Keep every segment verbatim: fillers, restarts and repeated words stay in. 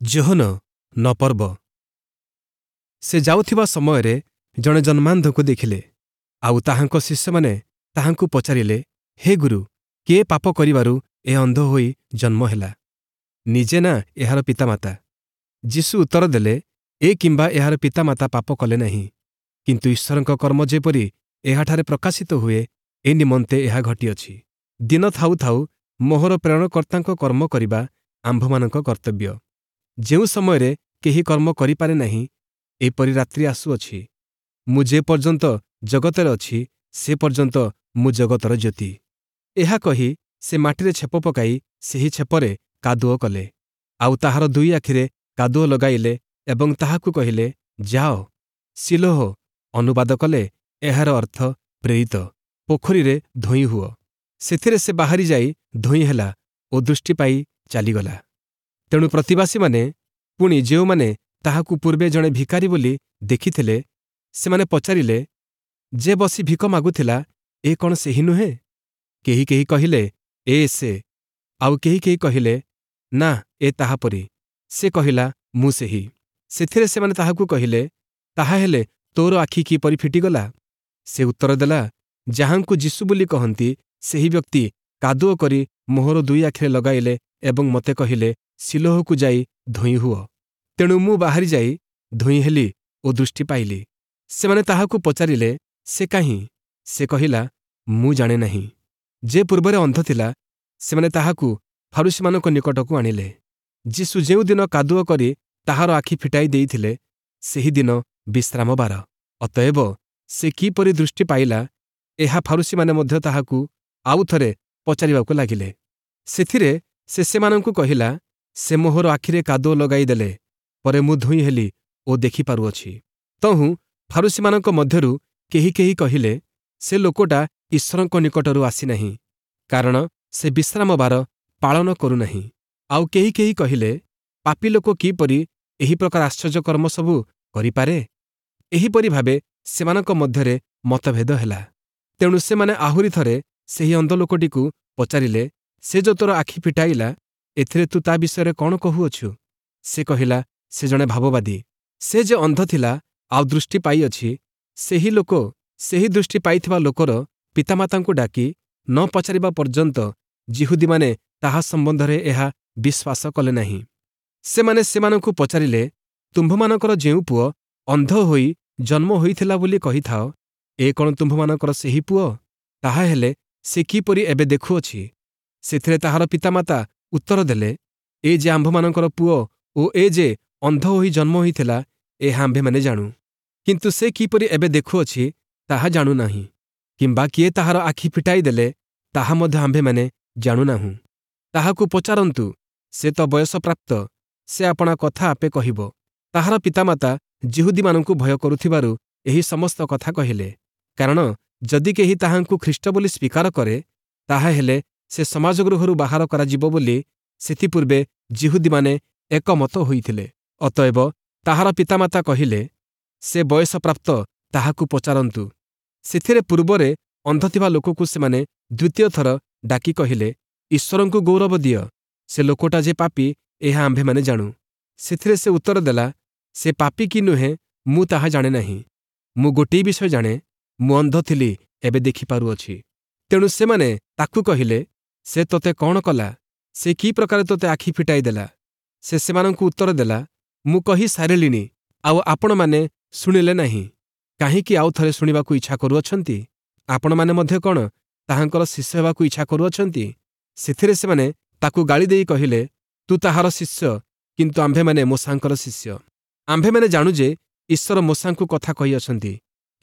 ଯୋହନ ନଅ ପର୍ବ ସେ ଯାଉଥିବା ସମୟରେ ଜଣେ ଜନ୍ମାନ୍ଧକୁ ଦେଖିଲେ ଆଉ ତାହାଙ୍କ ଶିଷ୍ୟମାନେ ତାହାଙ୍କୁ ପଚାରିଲେ ହେ ଗୁରୁ କିଏ ପାପ କରିବାରୁ ଏ ଅନ୍ଧ ହୋଇ ଜନ୍ମ ହେଲା ନିଜେ ନା ଏହାର ପିତାମାତା ଯୀଶୁ ଉତ୍ତର ଦେଲେ ଏ କିମ୍ବା ଏହାର ପିତାମାତା ପାପ କଲେ ନାହିଁ କିନ୍ତୁ ଈଶ୍ୱରଙ୍କ କର୍ମ ଯେପରି ଏହାଠାରେ ପ୍ରକାଶିତ ହୁଏ ଏ ନିମନ୍ତେ ଏହା ଘଟିଅଛି ଦିନ ଥାଉ ଥାଉ ମୋହର ପ୍ରେରଣକର୍ତ୍ତାଙ୍କ କର୍ମ କରିବା ଆମ୍ଭମାନଙ୍କ କର୍ତ୍ତବ୍ୟ ଯେଉଁ ସମୟରେ କେହି କର୍ମ କରିପାରେ ନାହିଁ ଏପରି ରାତ୍ରି ଆସୁଅଛି ମୁଁ ଯେ ପର୍ଯ୍ୟନ୍ତ ଜଗତରେ ଅଛି ସେ ପର୍ଯ୍ୟନ୍ତ ମୁଁ ଜଗତର ଜ୍ୟୋତି ଏହା କହି ସେ ମାଟିରେ ଛେପ ପକାଇ ସେହି ଛେପରେ କାଦୁଅ କଲେ ଆଉ ତାହାର ଦୁଇ ଆଖିରେ କାଦୁଅ ଲଗାଇଲେ ଏବଂ ତାହାକୁ କହିଲେ ଯାଅ ଶିଲୋହ ଅନୁବାଦ କଲେ ଏହାର ଅର୍ଥ ପ୍ରେରିତ ପୋଖରୀରେ ଧୋଇ ହୁଅ ସେଥିରେ ସେ ବାହାରି ଯାଇ ଧୋଇ ହେଲା ଓ ଦୃଷ୍ଟି ପାଇ ଚାଲିଗଲା ତେଣୁ ପ୍ରତିବାସୀମାନେ ପୁଣି ଯେଉଁମାନେ ତାହାକୁ ପୂର୍ବେ ଜଣେ ଭିକାରୀ ବୋଲି ଦେଖିଥିଲେ ସେମାନେ ପଚାରିଲେ ଯେ ବସି ଭିକ ମାଗୁଥିଲା ଏ କ'ଣ ସେହି ନୁହେଁ କେହି କେହି କହିଲେ ଏ ସେ ଆଉ କେହି କେହି କହିଲେ ନା ଏ ତାହା ପରି ସେ କହିଲା ମୁଁ ସେହି ସେଥିରେ ସେମାନେ ତାହାକୁ କହିଲେ ତାହାହେଲେ ତୋର ଆଖି କିପରି ଫିଟିଗଲା ସେ ଉତ୍ତର ଦେଲା ଯାହାଙ୍କୁ ଯୀଶୁ ବୋଲି କହନ୍ତି ସେହି ବ୍ୟକ୍ତି କାଦୁଅ କରି ମୋହର ଦୁଇ ଆଖିରେ ଲଗାଇଲେ ଏବଂ ମୋତେ କହିଲେ ଶିଲୋହକୁ ଯାଇ ଧୋଇ ହୁଅ ତେଣୁ ମୁଁ ବାହାରି ଯାଇ ଧୋଇ ହେଲି ଓ ଦୃଷ୍ଟି ପାଇଲି ସେମାନେ ତାହାକୁ ପଚାରିଲେ ସେ କାହିଁ ସେ କହିଲା ମୁଁ ଜାଣେ ନାହିଁ ଯେ ପୂର୍ବରେ ଅନ୍ଧ ଥିଲା ସେମାନେ ତାହାକୁ ଫାରୂଶୀମାନଙ୍କ ନିକଟକୁ ଆଣିଲେ ଯୀଶୁ ଯେଉଁଦିନ କାଦୁଅ କରି ତାହାର ଆଖି ଫିଟାଇ ଦେଇଥିଲେ ସେହିଦିନ ବିଶ୍ରାମ ବାର ଅତଏବ ସେ କିପରି ଦୃଷ୍ଟି ପାଇଲା ଏହା ଫାରୂଶୀମାନେ ମଧ୍ୟ ତାହାକୁ ଆଉଥରେ ପଚାରିବାକୁ ଲାଗିଲେ ସେଥିରେ ସେ ସେମାନଙ୍କୁ କହିଲା ସେ ମୋହର ଆଖିରେ କାଦୁଅ ଲଗାଇ ଦେଲେ ପରେ ମୁଁ ଧୋଇ ହେଲି ଓ ଦେଖିପାରୁଅଛି ତହୁଁ ଫାରୂଶୀମାନଙ୍କ ମଧ୍ୟରୁ କେହି କେହି କହିଲେ ସେ ଲୋକଟା ଈଶ୍ୱରଙ୍କ ନିକଟରୁ ଆସିନାହିଁ କାରଣ ସେ ବିଶ୍ରାମ ବାର ପାଳନ କରୁନାହିଁ ଆଉ କେହି କେହି କହିଲେ ପାପୀ ଲୋକ କିପରି ଏହି ପ୍ରକାର ଆଶ୍ଚର୍ଯ୍ୟ କର୍ମ ସବୁ କରିପାରେ ଏହିପରି ଭାବେ ସେମାନଙ୍କ ମଧ୍ୟରେ ମତଭେଦ ହେଲା ତେଣୁ ସେମାନେ ଆହୁରି ଥରେ ସେହି ଅନ୍ଧ ଲୋକଟିକୁ ପଚାରିଲେ ସେ ଯୋ ତୋର ଆଖି ଫିଟାଇଲା ଏଥିରେ ତୁ ତା ବିଷୟରେ କ'ଣ କହୁଅଛୁ ସେ କହିଲା ସେ ଜଣେ ଭାବବାଦୀ ସେ ଯେ ଅନ୍ଧ ଥିଲା ଆଉ ଦୃଷ୍ଟି ପାଇଅଛି ସେହି ଲୋକ ସେହି ଦୃଷ୍ଟି ପାଇଥିବା ଲୋକର ପିତାମାତାଙ୍କୁ ଡାକି ନ ପଚାରିବା ପର୍ଯ୍ୟନ୍ତ ଯିହୁଦୀମାନେ ତାହା ସମ୍ବନ୍ଧରେ ଏହା ବିଶ୍ୱାସ କଲେ ନାହିଁ ସେମାନେ ସେମାନଙ୍କୁ ପଚାରିଲେ ତୁମ୍ଭମାନଙ୍କର ଯେଉଁ ପୁଅ ଅନ୍ଧ ହୋଇ ଜନ୍ମ ହୋଇଥିଲା ବୋଲି କହିଥାଅ ଏ କ'ଣ ତୁମ୍ଭମାନଙ୍କର ସେହି ପୁଅ ତାହାହେଲେ ସେ କିପରି ଏବେ ଦେଖୁଅଛି ସେଥିରେ ତାହାର ପିତାମାତା ଉତ୍ତର ଦେଲେ ଏ ଯେ ଆମ୍ଭମାନଙ୍କର ପୁଅ ଓ ଏ ଯେ ଅନ୍ଧ ହୋଇ ଜନ୍ମ ହୋଇଥିଲା ଏହା ଆମ୍ଭେମାନେ ଜାଣୁ କିନ୍ତୁ ସେ କିପରି ଏବେ ଦେଖୁଅଛି ତାହା ଜାଣୁନାହିଁ କିମ୍ବା କିଏ ତାହାର ଆଖି ଫିଟାଇ ଦେଲେ ତାହା ମଧ୍ୟ ଆମ୍ଭେମାନେ ଜାଣୁନାହୁଁ ତାହାକୁ ପଚାରନ୍ତୁ ସେ ତ ବୟସପ୍ରାପ୍ତ ସେ ଆପଣା କଥା ଆପେ କହିବ ତାହାର ପିତାମାତା ଯିହୁଦୀମାନଙ୍କୁ ଭୟ କରୁଥିବାରୁ ଏହି ସମସ୍ତ କଥା କହିଲେ କାରଣ ଯଦି କେହି ତାହାଙ୍କୁ ଖ୍ରୀଷ୍ଟ ବୋଲି ସ୍ୱୀକାର କରେ ତାହାହେଲେ ସେ ସମାଜଗୃହରୁ ବାହାର କରାଯିବ ବୋଲି ସେଥିପୂର୍ବେ ଯିହୁଦୀମାନେ ଏକମତ ହୋଇଥିଲେ ଅତଏବ ତାହାର ପିତାମାତା କହିଲେ ସେ ବୟସପ୍ରାପ୍ତ ତାହାକୁ ପଚାରନ୍ତୁ ସେଥିରେ ପୂର୍ବରେ ଅନ୍ଧ ଥିବା ଲୋକକୁ ସେମାନେ ଦ୍ୱିତୀୟ ଥର ଡାକି କହିଲେ ଈଶ୍ୱରଙ୍କୁ ଗୌରବ ଦିଅ ସେ ଲୋକଟା ଯେ ପାପୀ ଏହା ଆମ୍ଭେମାନେ ଜାଣୁ ସେଥିରେ ସେ ଉତ୍ତର ଦେଲା ସେ ପାପୀ କି ନୁହେଁ ମୁଁ ତାହା ଜାଣେ ନାହିଁ ମୁଁ ଗୋଟିଏ ବିଷୟ ଜାଣେ ମୁଁ ଅନ୍ଧ ଥିଲି ଏବେ ଦେଖିପାରୁଅଛି ତେଣୁ ସେମାନେ ତାକୁ କହିଲେ ସେ ତୋତେ କ'ଣ କଲା ସେ କି ପ୍ରକାରେ ତୋତେ ଆଖି ଫିଟାଇ ଦେଲା ସେ ସେମାନଙ୍କୁ ଉତ୍ତର ଦେଲା ମୁଁ କହି ସାରିଲିଣି ଆଉ ଆପଣମାନେ ଶୁଣିଲେ ନାହିଁ କାହିଁକି ଆଉ ଥରେ ଶୁଣିବାକୁ ଇଚ୍ଛା କରୁଅଛନ୍ତି ଆପଣମାନେ ମଧ୍ୟ କ'ଣ ତାହାଙ୍କର ଶିଷ୍ୟ ହେବାକୁ ଇଚ୍ଛା କରୁଅଛନ୍ତି ସେଥିରେ ସେମାନେ ତାକୁ ଗାଳି ଦେଇ କହିଲେ ତୁ ତାହାର ଶିଷ୍ୟ କିନ୍ତୁ ଆମ୍ଭେମାନେ ମୋଶାଙ୍କର ଶିଷ୍ୟ ଆମ୍ଭେମାନେ ଜାଣୁ ଯେ ଈଶ୍ୱର ମୋଶାଙ୍କୁ କଥା କହିଅଛନ୍ତି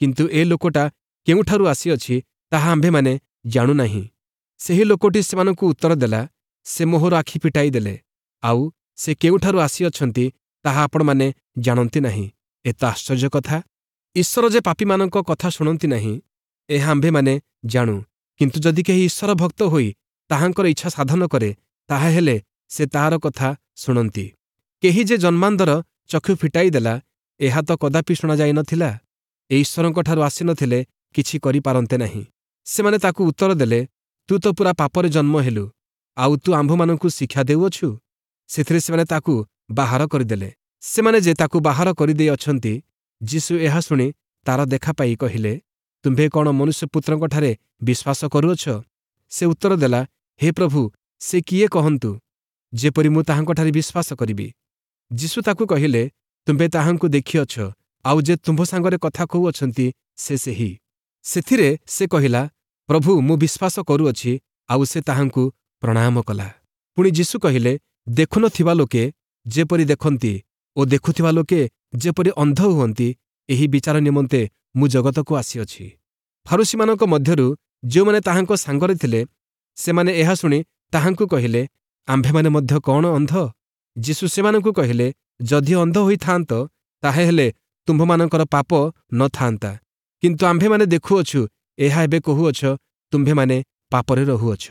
କିନ୍ତୁ ଏ ଲୋକଟା କେଉଁଠାରୁ ଆସିଅଛି ତାହା ଆମ୍ଭେମାନେ ଜାଣୁନାହିଁ ସେହି ଲୋକଟି ସେମାନଙ୍କୁ ଉତ୍ତର ଦେଲା ସେ ମୋହର ଆଖି ଫିଟାଇ ଦେଲେ ଆଉ ସେ କେଉଁଠାରୁ ଆସିଅଛନ୍ତି ତାହା ଆପଣମାନେ ଜାଣନ୍ତି ନାହିଁ ଏ ତ ଆଶ୍ଚର୍ଯ୍ୟ କଥା ଈଶ୍ୱର ଯେ ପାପୀମାନଙ୍କ କଥା ଶୁଣନ୍ତି ନାହିଁ ଏହା ଆମ୍ଭେମାନେ ଜାଣୁ କିନ୍ତୁ ଯଦି କେହି ଈଶ୍ୱର ଭକ୍ତ ହୋଇ ତାହାଙ୍କର ଇଚ୍ଛା ସାଧନ କରେ ତାହାହେଲେ ସେ ତାହାର କଥା ଶୁଣନ୍ତି କେହି ଯେ ଜନ୍ମାନ୍ଧର ଚକ୍ଷୁ ଫିଟାଇ ଦେଲା ଏହା ତ କଦାପି ଶୁଣାଯାଇନଥିଲା ଏ ଈଶ୍ୱରଙ୍କଠାରୁ ଆସିନଥିଲେ କିଛି କରିପାରନ୍ତେ ନାହିଁ ସେମାନେ ତାକୁ ଉତ୍ତର ଦେଲେ ତୁ ତ ପୂରା ପାପରେ ଜନ୍ମ ହେଲୁ ଆଉ ତୁ ଆମ୍ଭମାନଙ୍କୁ ଶିକ୍ଷା ଦେଉଅଛୁ ସେଥିରେ ସେମାନେ ତାକୁ ବାହାର କରିଦେଲେ। ସେମାନେ ଯେ ତାକୁ ବାହାର କରିଦେଇଅଛନ୍ତି, ଯୀଶୁ ଏହା ଶୁଣି ତାର ଦେଖା ପାଇ କହିଲେ, ତୁମ୍ଭେ କ'ଣ ମନୁଷ୍ୟପୁତ୍ରଙ୍କଠାରେ ବିଶ୍ୱାସ କରୁଅଛ? ସେ ଉତ୍ତର ଦେଲା, ହେ ପ୍ରଭୁ, ସେ କିଏ କହନ୍ତୁ, ଯେପରି ମୁଁ ତାହାଙ୍କଠାରେ ବିଶ୍ୱାସ କରିବି। ଯୀଶୁ ତାକୁ କହିଲେ, ତୁମ୍ଭେ ତାହାଙ୍କୁ ଦେଖିଅଛ, ଆଉ ଯେ ତୁମ୍ଭ ସାଙ୍ଗରେ କଥା କହୁଅଛନ୍ତି ସେ ସେହି। ସେଥିରେ ସେ କହିଲା, ପ୍ରଭୁ, ମୁଁ ବିଶ୍ୱାସ କରୁଅଛି, ଆଉ ସେ ତାହାଙ୍କୁ ପ୍ରଣାମ କଲା। ପୁଣି ଯୀଶୁ କହିଲେ, ଦେଖୁନଥିବା ଲୋକେ ଯେପରି ଦେଖନ୍ତି ଓ ଦେଖୁଥିବା ଲୋକେ ଯେପରି ଅନ୍ଧ ହୁଅନ୍ତି, ଏହି ବିଚାର ନିମନ୍ତେ ମୁଁ ଜଗତକୁ ଆସିଅଛି। ଫାରୂଶୀମାନଙ୍କ ମଧ୍ୟରୁ ଯେଉଁମାନେ ତାହାଙ୍କ ସାଙ୍ଗରେ ଥିଲେ, ସେମାନେ ଏହା ଶୁଣି ତାହାଙ୍କୁ କହିଲେ, ଆମ୍ଭେମାନେ ମଧ୍ୟ କ'ଣ ଅନ୍ଧ? ଯୀଶୁ ସେମାନଙ୍କୁ କହିଲେ, ଯଦି ଅନ୍ଧ ହୋଇଥାନ୍ତ, ତାହାହେଲେ ତୁମ୍ଭମାନଙ୍କର ପାପ ନ ଥାନ୍ତା। କିନ୍ତୁ ଆମ୍ଭେମାନେ ଦେଖୁଅଛୁ, ଏହା ଏବେ କହୁଅଛ, ତୁମ୍ଭେମାନେ ପାପରେ ରହୁଅଛ।